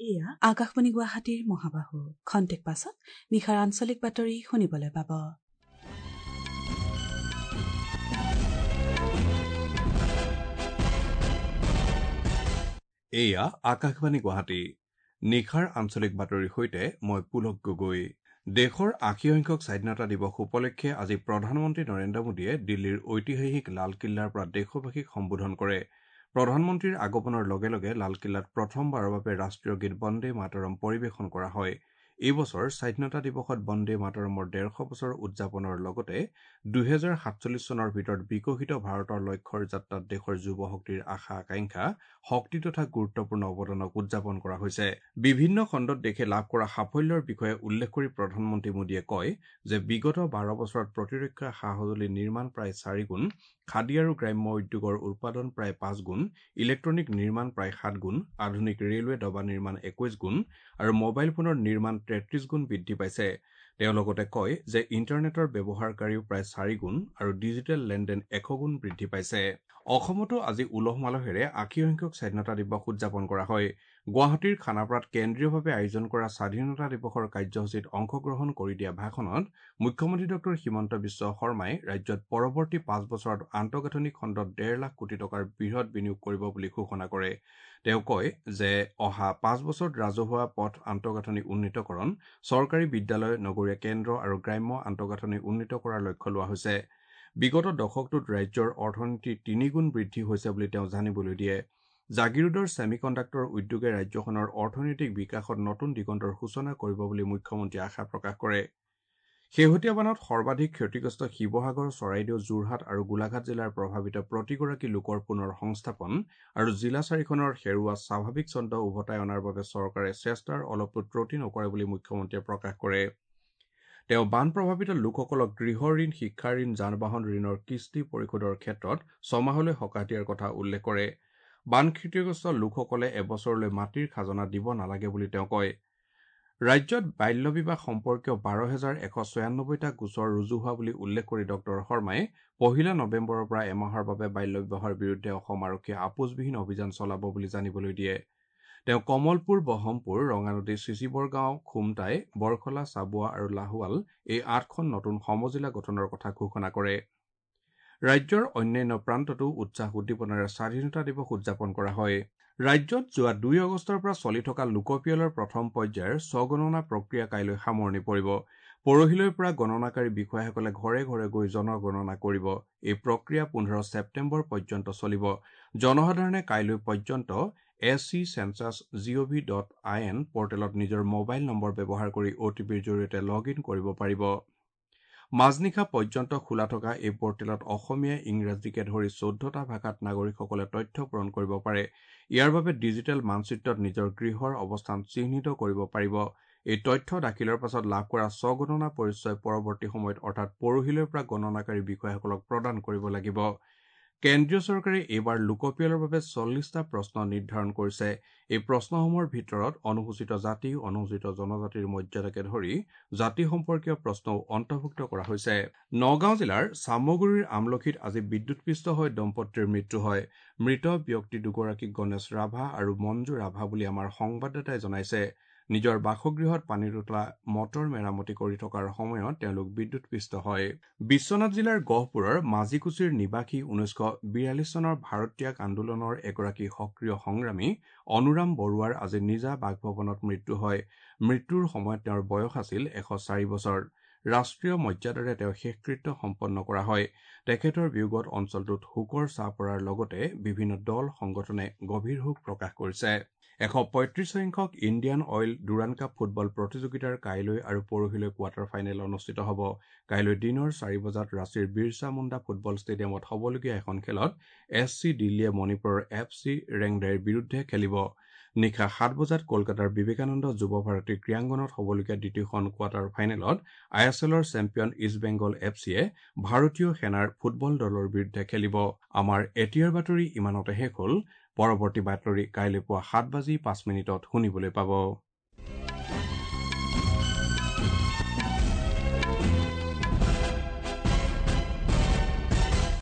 এয়া আকাশবাণী গুৱাহাটীৰ মহাবাহু। খন্তেক পাছত নিশাৰ আঞ্চলিক বাতৰি শুনিবলৈ পাব। এয়া আকাশবাণী গুৱাহাটী। নিশাৰ আঞ্চলিক বাতৰিৰ সৈতে মই পুলক গগৈ। দেশৰ ৮০ সংখ্যক স্বাধীনতা দিৱস উপলক্ষে আজি প্ৰধানমন্ত্ৰী নৰেন্দ্ৰ মোদীয়ে দিল্লীৰ ঐতিহাসিক লালকিল্লাৰ পৰা দেশবাসীক সম্বোধন কৰে। প্ৰধানমন্ত্ৰীৰ আগমনৰ লগে লগে লালকিল্লাত প্ৰথমবাৰৰ বাবে ৰাষ্ট্ৰীয় গীত বন্দে মাতৰম পৰিৱেশন কৰা হয়। এই বছৰ স্বাধীনতা দিৱসত বন্দে মাতৰমৰ ১৫০ বছৰ উদযাপনৰ লগতে ২০৪৭ চনৰ ভিতৰত বিকশিত ভাৰতৰ লক্ষ্যৰ যাত্ৰাত দেশৰ যুৱ শক্তিৰ আশা আকাংক্ষা, শক্তি তথা গুৰুত্বপূৰ্ণ অৱদানক উদযাপন কৰা হৈছে। বিভিন্ন খণ্ডত দেশে লাভ কৰা সাফল্যৰ বিষয়ে উল্লেখ কৰি প্ৰধানমন্ত্ৰী মোদীয়ে কয় যে বিগত ১২ বছৰত প্ৰতিৰক্ষা সা সঁজুলি নিৰ্মাণ প্ৰায় ৪ গুণ, খাদী আৰু গ্ৰাম্য উদ্যোগৰ উৎপাদন প্ৰায় ৫ গুণ, ইলেক্ট্ৰনিক নিৰ্মাণ প্ৰায় ৭ গুণ, আধুনিক ৰেলৱে ডবা নিৰ্মাণ ২১ গুণ আৰু মোবাইল ফোনৰ নিৰ্মাণ ৩৩ গুণ বৃদ্ধি পাইছে। তেওঁ লগতে কয় যে ইণ্টাৰনেটৰ ব্যৱহাৰকাৰীও প্ৰায় ৪ গুণ আৰু ডিজিটেল লেনদেন ১০০ গুণ বৃদ্ধি পাইছে। অসমতো আজি উলহ মালহেৰে ৮০ সংখ্যক স্বাধীনতা দিৱস উদযাপন কৰা হয়। গুৱাহাটীৰ খানাপাৰাত কেন্দ্ৰীয়ভাৱে আয়োজন কৰা স্বাধীনতা দিৱসৰ কাৰ্যসূচীত অংশগ্ৰহণ কৰি দিয়া ভাষণত মুখ্যমন্ত্ৰী ডঃ হিমন্ত বিশ্ব শৰ্মাই ৰাজ্যত পৰৱৰ্তী ৫ বছৰত আন্তঃগাঁথনি খণ্ডত ১.৫ লাখ কোটি টকাৰ বৃহৎ বিনিয়োগ কৰিব বুলি ঘোষণা কৰে। তেওঁ কয় যে অহা ৫ বছৰত ৰাজহুৱা পথ আন্তঃগাঁথনি উন্নীতকৰণ, চৰকাৰী বিদ্যালয়, নগৰীয়া কেন্দ্ৰ আৰু গ্ৰাম্য আন্তঃগাঁথনি উন্নীত কৰাৰ লক্ষ্য লোৱা হৈছে। বিগত দশকটোত ৰাজ্যৰ অৰ্থনীতি ৩ গুণ বৃদ্ধি হৈছে বুলি তেওঁ জানিবলৈ দিয়ে। জাগিৰোডৰ ছেমি কণ্ডাক্টৰ উদ্যোগে ৰাজ্যখনৰ অৰ্থনৈতিক বিকাশত নতুন দিগন্তৰ সূচনা কৰিব বুলি মুখ্যমন্ত্ৰীয়ে আশা প্ৰকাশ কৰে। শেহতীয়া বানত সৰ্বাধিক ক্ষতিগ্ৰস্ত শিৱসাগৰ, চৰাইদেউ, যোৰহাট আৰু গোলাঘাট জিলাৰ প্ৰভাৱিত প্ৰতিগৰাকী লোকৰ পুনৰ সংস্থাপন আৰু জিলা চাৰিখনৰ হেৰুওৱা স্বাভাৱিক ছন্দ উভতাই অনাৰ বাবে চৰকাৰে চেষ্টাৰ অলপো ত্ৰুটি নকৰে বুলি মুখ্যমন্ত্ৰীয়ে প্ৰকাশ কৰে। তেওঁ বান প্ৰভাৱিত লোকসকলক গৃহ ঋণ, শিক্ষা ঋণ, যান বাহন ঋণৰ কিস্তি পৰিশোধৰ ক্ষেত্ৰত ছমাহলৈ সকাহ দিয়াৰ কথা উল্লেখ কৰে। বান ক্ষতিগ্ৰস্ত লোকসকলে এবছৰলৈ মাটিৰ খাজনা দিব নালাগে বুলি তেওঁ কয়। ৰাজ্যত বাল্য বিবাহ সম্পৰ্কীয় ১২,১৯৬টা গোচৰ ৰুজু হোৱা বুলি উল্লেখ কৰি ডঃ শৰ্মাই ১ নৱেম্বৰৰ পৰা এমাহৰ বাবে বাল্য বিবাহৰ বিৰুদ্ধে অসম আৰক্ষীয়ে আপোচবিহীন অভিযান চলাব বুলি জানিবলৈ দিয়ে। তেওঁ কমলপুৰ, বহৰমপুৰ, ৰঙানদী, চিচিবৰগাঁও, খুমটাই, বৰখলা, চাবুৱা আৰু লাহোৱাল এই ৮খন নতুন সমজিলা গঠনৰ কথা ঘোষণা কৰে। ৰাজ্যৰ অন্যান্য প্ৰান্ততো উৎসাহ উদ্দীপনাৰে স্বাধীনতা দিৱস উদযাপন কৰা হয়। ৰাজ্যত যোৱা ২ আগষ্টৰ পৰা চলি থকা লোকপিয়লৰ প্ৰথম পৰ্যায়ৰ স্বগণনা প্ৰক্ৰিয়া কাইলৈ সামৰণি পৰিব। পৰহিলৈৰ পৰা গণনাকাৰী বিষয়াসকলে ঘৰে ঘৰে গৈ জনগণনা কৰিব। এই প্ৰক্ৰিয়া ১৫ ছেপ্টেম্বৰ পৰ্যন্ত চলিব। জনসাধাৰণে কাইলৈ পৰ্যন্ত sc-census.gov.in পৰ্টেলত নিজৰ মোবাইল নম্বৰ ব্যৱহাৰ কৰি অ'টিপিৰ জৰিয়তে লগ ইন কৰিব পাৰিব। মাজনিশা পৰ্যন্ত খোলা থকা এই পৰ্টেলত অসমীয়া, ইংৰাজীকে ধৰি ১৪টা ভাষাত নাগৰিকসকলে তথ্য পূৰণ কৰিব পাৰে। ইয়াৰ বাবে ডিজিটেল মানচিত্ৰত নিজৰ গৃহৰ অৱস্থান চিহ্নিত কৰিব পাৰিব। এই তথ্য দাখিলৰ পাছত লাভ কৰা স্বগণনা পৰিচয় পৰৱৰ্তী সময়ত অৰ্থাৎ পৰহিলৈৰ পৰা গণনাকাৰী বিষয়াসকলক প্ৰদান কৰিব লাগিব। কেন্দ্ৰীয় চৰকাৰে এইবাৰ লোকপিয়লৰ বাবে ৪০টা প্ৰশ্ন নিৰ্ধাৰণ কৰিছে। এই প্ৰশ্নসমূহৰ ভিতৰত অনুসূচিত জাতি, অনুসূচিত জনজাতিৰ মৰ্যাদাকে ধৰি জাতি সম্পৰ্কীয় প্ৰশ্নও অন্তৰ্ভুক্ত কৰা হৈছে। নগাঁও জিলাৰ চামগুৰিৰ আমলখিত আজি বিদ্যুৎপৃষ্ট হৈ দম্পতীৰ মৃত্যু হয়। মৃত ব্যক্তি দুগৰাকীক গণেশ ৰাভা আৰু মঞ্জু ৰাভা বুলি আমাৰ সংবাদদাতাই জনাইছে। নিজৰ বাসগৃহত পানীৰ তোলা মটৰ মেৰামতি কৰি থকাৰ সময়ত তেওঁলোক বিদ্যুৎপৃষ্ট হয়। বিশ্বনাথ জিলাৰ গহপুৰৰ মাজিকুছিৰ নিবাসী ১৯৪২ চনৰ ভাৰত ত্যাগ আন্দোলনৰ এগৰাকী সক্ৰিয় সংগ্ৰামী অনুৰাম বৰুৱাৰ আজি নিজা বাসভৱনত মৃত্যু হয়। মৃত্যুৰ সময়ত তেওঁৰ বয়স আছিল ১০৪ বছৰ। ৰাষ্ট্ৰীয় মৰ্যাদাৰে তেওঁ শেষকৃত্য সম্পন্ন কৰা হয়। তেখেতৰ বিয়োগত অঞ্চলটোত শোকৰ ছাঁ পৰাৰ লগতে বিভিন্ন দল সংগঠনে গভীৰ শোক প্ৰকাশ কৰিছে। ১৩৫ সংখ্যক Indian Oil Durand Cup football প্ৰতিযোগিতাৰ কাইলৈ আৰু পৰহিলৈ কোৱাৰ্টাৰ ফাইনেল অনুষ্ঠিত হ'ব। কাইলৈ দিনৰ ৪ বজাত ৰাঁচীৰ বিৰছা মুণ্ডা ফুটবল ষ্টেডিয়ামত হ'বলগীয়া এখন খেলত এছ চি দিল্লীয়ে মণিপুৰৰ এফ চি ৰেংদাইৰ বিৰুদ্ধে খেলিব। নিশা ৭ বজাত কলকাতাৰ বিবেকানন্দ যুৱ ভাৰতী ক্ৰীড়াংগনত হ'বলগীয়া দ্বিতীয়খন কোৱাৰ্টাৰ ফাইনেলত I S এলৰ চেম্পিয়ন ইষ্ট বেংগল এফ চিয়ে ভাৰতীয় সেনাৰ ফুটবল দলৰ বিৰুদ্ধে খেলিব। আমাৰ এতিয়াৰ বাতৰি ইমানতে শেষ হ'ল। পৰৱৰ্তী বাতৰি কাইলৈ পুৱা ৭:০৫ শুনিবলৈ পাব।